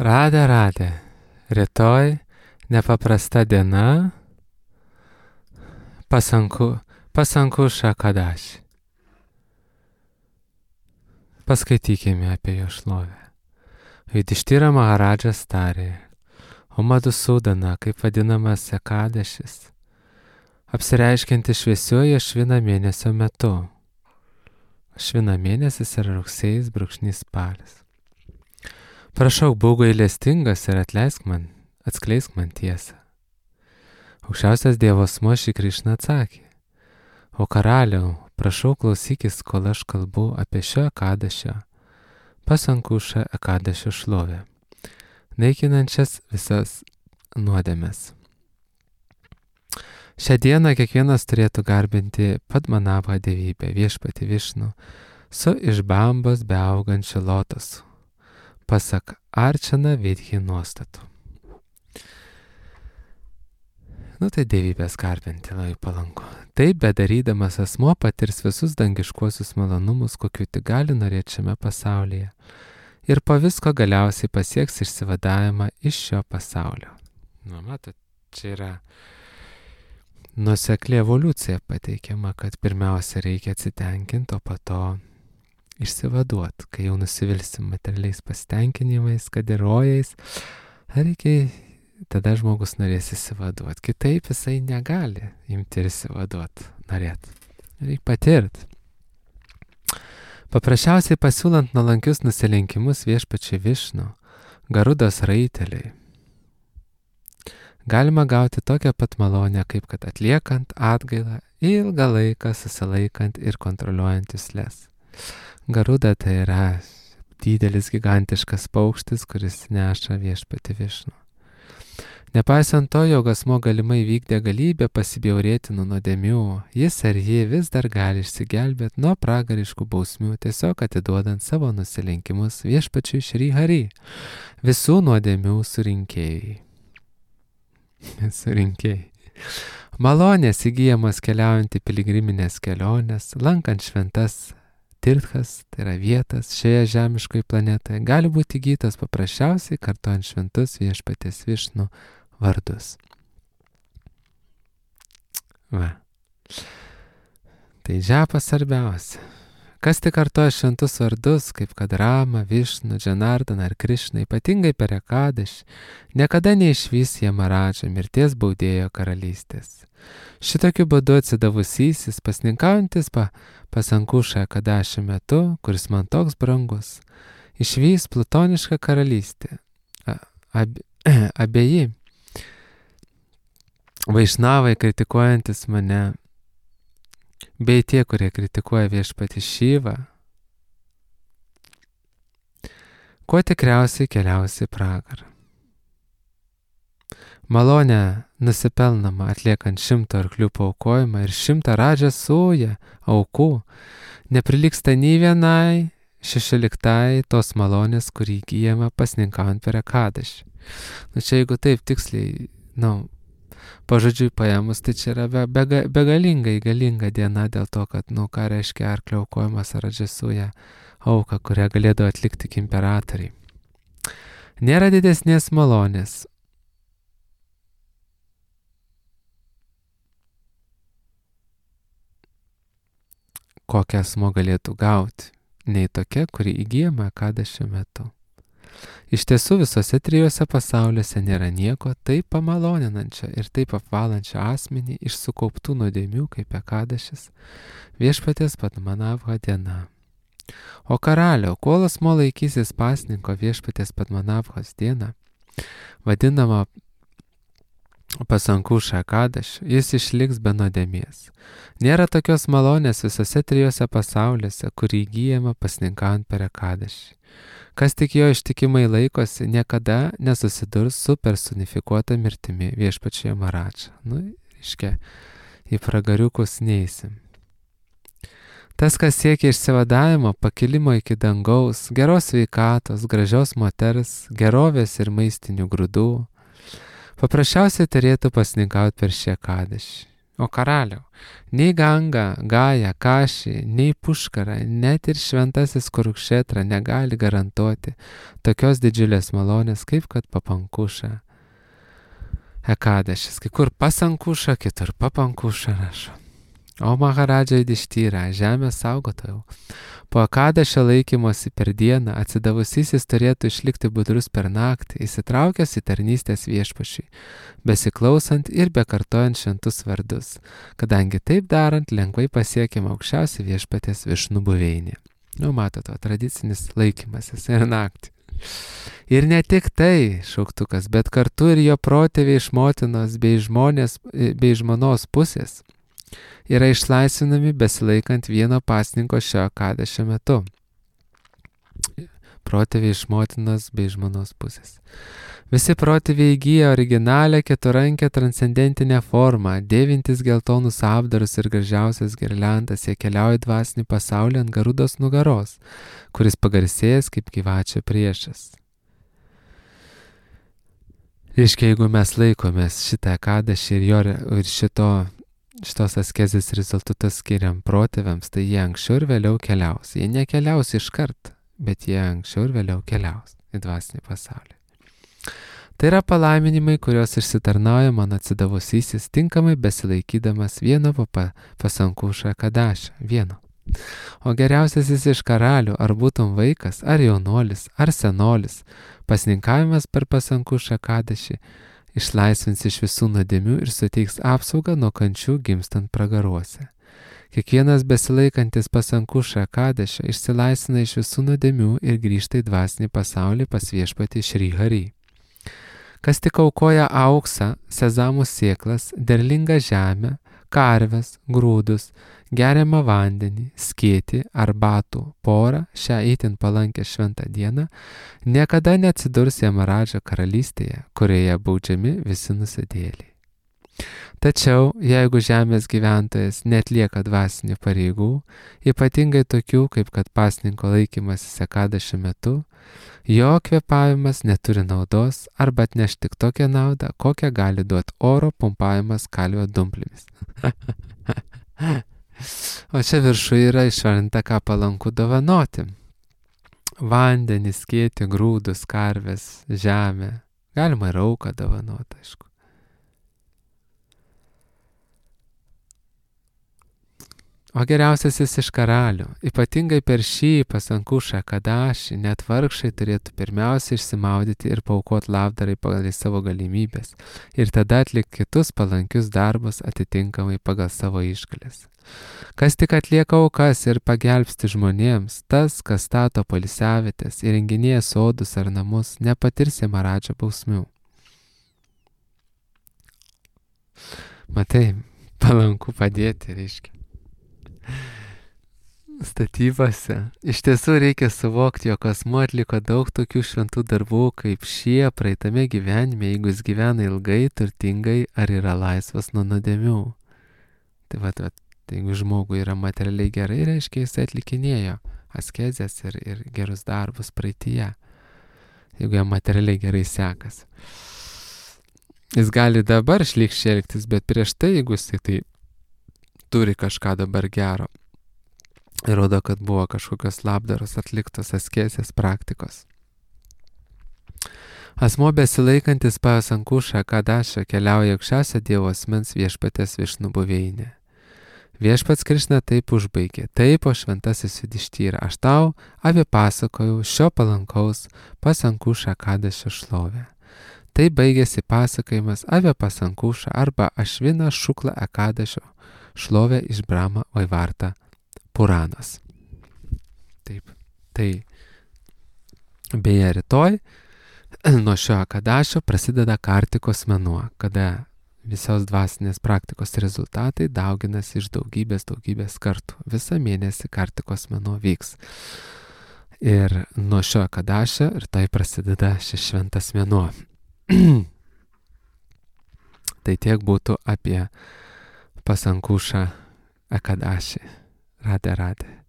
Radė. Rytoj nepaprasta diena, pasanku šakadaš. Paskaitykime apie jo šlovę. Judištyra Maharadžas tarė, o Madusudana, kaip vadinamas Ekadešis, apsireiškianti šviesioje Ašvina mėnesio metu. Ašvina mėnesis yra rugsėjis brūkšnys spalis. Prašau, būk gailestingas ir atskleisk man tiesą. Aukščiausias Dievo asmuo Šri Krišna atsakė, o karaliau, prašau klausykis, kol aš kalbu apie šio Ekadešio, pasankušą Ekadešio šlovę, naikinančias visas nuodėmes. Šią dieną kiekvienas turėtų garbinti Padmanabhą dievybę, viešpatį Višnų, su iš bambos beaugančiu lotosu, pasak Arčana Vidhi nuostatų. Tai dievybės garbinti labai palanku. Taip bedarydamas asmuo patirs visus dangiškuosius malonumus, kokių tik gali norėti šiame pasaulyje. Ir po visko galiausiai pasieks išsivadavimą iš šio pasaulio. Matot, čia yra nuosekli evoliucija pateikiama, kad pirmiausia reikia atsitenkinti, o po to išsivaduoti, kai jau nusivilsim materialiais pasitenkinimais, kad ir rojais, tada žmogus norės įsivaduoti. Kitaip jisai negali imti ir įsivaduoti, norėti. Reikia patirti. Paprasčiausiai pasiūlant nuolankius nusilenkimus viešpačiui Višnų, Garudos raiteliui, galima gauti tokią pat malonę, kaip kad atliekant atgailą ilgą laiką susilaikant ir kontroliuojant jusles. Garuda tai yra didelis gigantiškas paukštis, kuris neša viešpatį Višnų. Nepaisant to, jog asmuo galimai vykdė galybę pasibjaurėti nuo nuodėmių, jis ar ji vis dar gali išsigelbėti nuo pragariškų bausmių, tiesiog atiduodant savo nusilenkimus viešpačiui Šri Hari, visų nuodėmių surinkėjai. Malonės įgyjamos keliaujant į piligriminės keliones, lankant šventas tirthas, tai yra vietas šioje žemiškoje planetoje, gali būti įgytas paprasčiausiai kartojant šventus viešpaties Višnų vardus. Tai džapas svarbiausia. Kas tik kartoja šventus vardus, kaip kad Rama, Višnų, Džanardana ar Krišna, ypatingai per Ekadešį, niekada neišvys Jamaradžo mirties baudėjo karalystės. Šitokiu būdu atsidavusysis, pasninkaujantis pasankušą Ekadešio metu, kuris man toks brangus, išvys plutonišką karalystę. Abieji vaišnavai kritikuojantis mane, bei tie, kurie kritikuoja viešpatį Šivą, kuo tikriausiai keliausi į pragarą. Malonė nusipelnama atliekant 100 arklių paaukojimą ir 100 radžas sūją aukų neprilygsta nei vienai 16 tos malonės, kurį įgyjama pasninkaujant per Ekadešį. Čia jeigu taip tiksliai, pažodžiui paėmus, tai čia yra galinga diena dėl to, kad, ką reiškia arklio aukojimas ar radžasūja auka, kurią galėdavo atlikti tik imperatoriai. Nėra didesnės malonės, kokią asmuo galėtų gauti, nei tokia, kuri įgyjama Ekadešio metu. Iš tiesų visose 3 pasauliuose nėra nieko taip pamaloninančio ir taip apvalančio asmenį iš sukauptų nuodėmių kaip Ekadešis, viešpaties Padmanabho diena. O karaliau, kol asmuo laikysis pasninko viešpaties Padmanabhos dieną, vadinama pasankušą Ekadešį, jis išliks be nuodėmės. Nėra tokios malonės visose 3 pasauliuose, kuri įgyjama pasninkaujant per Ekadešį. Kas tik jo ištikimai laikosi, niekada nesusidurs su personifikuota mirtimi viešpačiu Jamaradža. Į pragariukus neįsim. Tas, kas siekia išsivadavimo, pakilimo iki dangaus, geros sveikatos, gražios moters, gerovės ir maistinių grūdų, paprasčiausiai turėtų pasninkauti per šį Ekadešį. O karaliau, nei Ganga, Gaja, Kaši, nei Puškara, net ir šventasis Kurukšetra negali garantuoti tokios didžiulės malonės, kaip kad Papankuša Ekadešis. Kai kur Pasankuša, kitur Papankuša rašo. O Maharadža Judištyra, žemės saugotojau, po Ekadešio laikymosi per dieną atsidavusysis turėtų išlikti budrus per naktį, įsitraukęs į tarnystės viešpačiui, besiklausant ir bekartojant šventus vardus, kadangi taip darant lengvai pasiekiama aukščiausia viešpaties Višnų buveinė. Matote, tradicinis laikymasis ir naktį. Ir ne tik tai, šauktukas, bet kartu ir jo protėviai iš motinos bei žmonos pusės yra išlaisvinami besilaikant vieno pasninko šio Ekadešio metu. Protėviai iš motinos bei žmonos pusės. Visi protėviai įgyja originalią keturankę transcendentinę formą, dėvintis geltonus apdarus ir gražiausias girliandas, jie keliauja dvasinį pasaulį ant Garudos nugaros, kuris pagarsėjęs kaip gyvačio priešas. Reiškia, jeigu mes laikomės šitą Ekadešį ir šitos askezės rezultatus skiriam protėviams, tai jie anksčiau ir vėliau keliaus. Jie nekeliaus iškart, bet jie anksčiau ir vėliau keliaus į dvasinį pasaulį. Tai yra palaiminimai, kuriuos išsitarnauja mano atsidavusysis, tinkamai besilaikydamas vieno Pasankuša Ekadašio, vieno. O geriausiasis iš karalių, ar būtum vaikas, ar jaunuolis, ar senolis, pasninkavimas per Pasankuša Ekadašį išlaisvins iš visų nuodėmių ir suteiks apsaugą nuo kančių gimstant pragaruose. Kiekvienas besilaikantis Pasankuša Ekadašio išsilaisvina iš visų nuodėmių ir grįžta į dvasinį pasaulį pas viešpatį Šri Hari. Kas tik aukoja auksą, sezamų sėklas, derlingą žemę, karves, grūdus, geriamą vandenį, skėtį, arbatų, porą, šią itin palankę šventą dieną, niekada neatsidurs Jamaradžo karalystėje, kurioje baudžiami visi nusidėliai. Tačiau, jeigu žemės gyventojas netlieka dvasinių pareigų, ypatingai tokių, kaip kad pasninko laikymasis Ekadašio metu, jo kvėpavimas neturi naudos arba atneš tik tokią naudą, kokią gali duoti oro pumpavimas kalvio dumplėmis. O čia viršuje yra išvardinta, ką palanku dovanoti. Vandenį, skėtį, grūdus, karves, žemę. Galima ir auką dovanoti, aišku. O geriausiasis iš karalių, ypatingai per šį Pasankuša Ekadašį, net vargšai turėtų pirmiausia išsimaudyti ir paaukoti labdarai pagal savo galimybės ir tada atlikti kitus palankius darbus atitinkamai pagal savo išgales. Kas tik atlieka aukas ir pagelbsti žmonėms, tas, kas stato poilsiavietes, įrenginėja sodus ar namus, nepatirs Jamaradžo bausmių. Matai, palanku padėti, reiškia. Statybose. Iš tiesų reikia suvokti, jog asmuo atliko daug tokių šventų darbų, kaip šie praeitame gyvenime, jeigu jis gyvena ilgai, turtingai ar yra laisvas nuo nuodėmių. Tai jeigu žmogui yra materialiai gerai, reiškia jis atlikinėjo askezės ir gerus darbus praeityje. Jeigu jam materialiai gerai sekas. Jis gali dabar šlykščiai elgtis, bet prieš tai, jeigu jis tai turi kažką dabar gero, įrodo, kad buvo kažkokios labdaros atliktos askezės praktikos. Asmuo besilaikantis Pasankuša Ekadašio keliauja aukščiausio Dievo asmens viešpaties Višnų buveinė. Viešpats Krišna taip užbaigė: taip, o šventasis Judištyra, aš tau apipasakojau šio palankaus Pasankuša Ekadašio šlovę. Tai baigėsi pasakojimas apie Pasankuša arba Ašvina Šukla Ekadašio šlovę iš Brahma Vaivarta Puranas. Taip, tai beje rytoj nuo šio Ekadašio prasideda Kartikos mėnuo, kada visos dvasinės praktikos rezultatai dauginasi iš daugybės kartų. Visą mėnesį Kartikos mėnuo vyks. Ir nuo šio Ekadašio rytoj prasideda šis šventas mėnuo. Tai tiek būtų apie Pasankuša Ekadašį. Radhe Radhe.